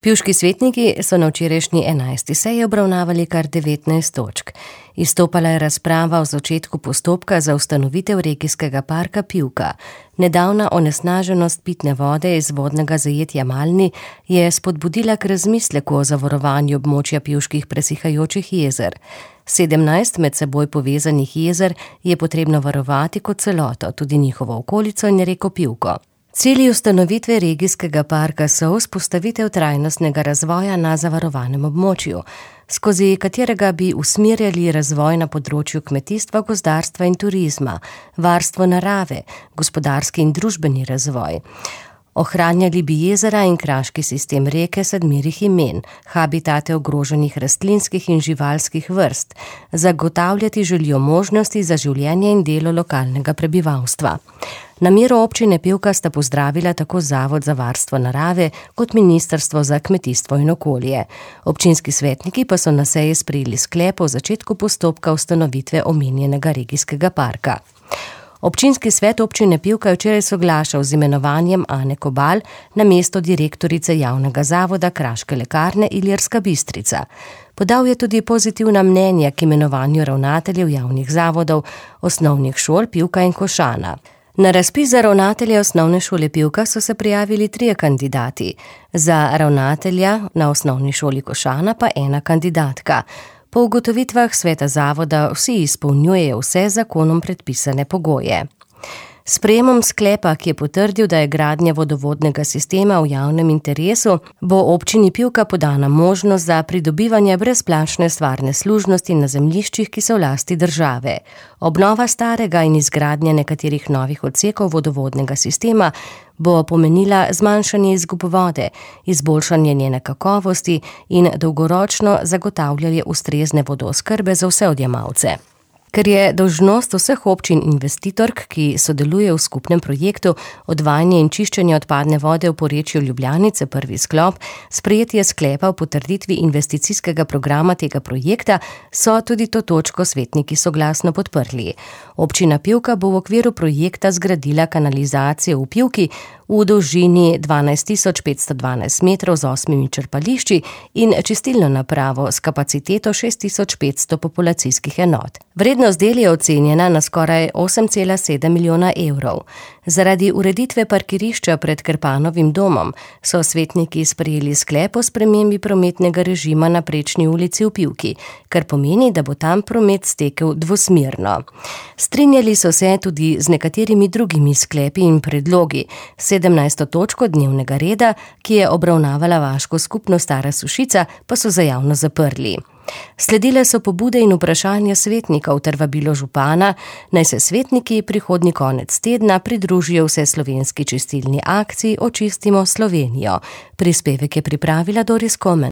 Pivški svetniki so na včerajšnji 11. seji obravnavali kar 19 točk. Izstopala je razprava o začetku postopka za ustanovitev regijskega parka Pivka. Nedavna onesnaženost pitne vode iz vodnega zajetja Malni je spodbudila k razmisleku o zavarovanju območja pivških presihajočih jezer. 17 med seboj povezanih jezer je potrebno varovati kot celoto, tudi njihovo okolico in reko Pivko. Cilji ustanovitve regijskega parka so vzpostavitev trajnostnega razvoja na zavarovanem območju, skozi katerega bi usmerjali razvoj na področju kmetijstva, gozdarstva in turizma, varstvo narave, gospodarski in družbeni razvoj. Ohranjali bi jezera in kraški sistem reke 7 imen, habitate ogroženih rastlinskih in živalskih vrst, zagotavljati želijo možnosti za življenje in delo lokalnega prebivalstva. Namero občine Pivka sta pozdravila tako Zavod za varstvo narave kot Ministrstvo za kmetijstvo in okolje. Občinski svetniki pa so na seji sprejeli sklep o začetku postopka ustanovitve omenjenega regijskega parka. Občinski svet občine Pivka je včeraj soglašal z imenovanjem Ane Kobal na mesto direktorice javnega zavoda Kraške lekarne Ilirska Bistrica. Podal je tudi pozitivna mnenja k imenovanju ravnateljev javnih zavodov, osnovnih šol Pivka in Košana. Na razpis za ravnatelja osnovne šole Pivka so se prijavili 3 kandidati, za ravnatelja na osnovni šoli Košana pa 1 kandidatka. Po ugotovitvah sveta zavoda vsi izpolnjujejo vse zakonom predpisane pogoje. S sprejemom sklepa, ki je potrdil, da je gradnja vodovodnega sistema v javnem interesu, bo občini Pivka podana možnost za pridobivanje brezplačne stvarne služnosti na zemljiščih, ki so v lasti države. Obnova starega in izgradnja nekaterih novih odsekov vodovodnega sistema bo pomenila zmanjšanje izgub vode, izboljšanje njene kakovosti in dolgoročno zagotavljanje ustrezne vodooskrbe za vse odjemalce. Ker je dolžnost vseh občin investitork, ki sodeluje v skupnem projektu odvajanje in čiščenje odpadne vode v porečju Ljubljanice, prvi sklop, sprejetje sklepa o potrditvi investicijskega programa tega projekta, so tudi to točko svetniki soglasno podprli. Občina Pivka bo v okviru projekta zgradila kanalizacijo v Pivki v dolžini 12.512 metrov z 8 črpališči in čistilno napravo s kapaciteto 6.500 populacijskih enot. Vrednost del je ocenjena na skoraj 8,7 milijona evrov. Zaradi ureditve parkirišča pred Krpanovim domom so svetniki sprejeli sklep o spremembi prometnega režima na Prečni ulici v Pivki, kar pomeni, da bo tam promet stekel dvosmerno. Strinjali so se tudi z nekaterimi drugimi sklepi in predlogi. 17. točko dnevnega reda, ki je obravnavala vaško skupnost Stara Sušica, pa so za javnost zaprli. Sledile so pobude in vprašanja svetnikov ter vabilo župana, naj se svetniki prihodnji konec tedna pridružijo vseslovenski čistilni akciji Očistimo Slovenijo. Prispevek je pripravila Doris Komen.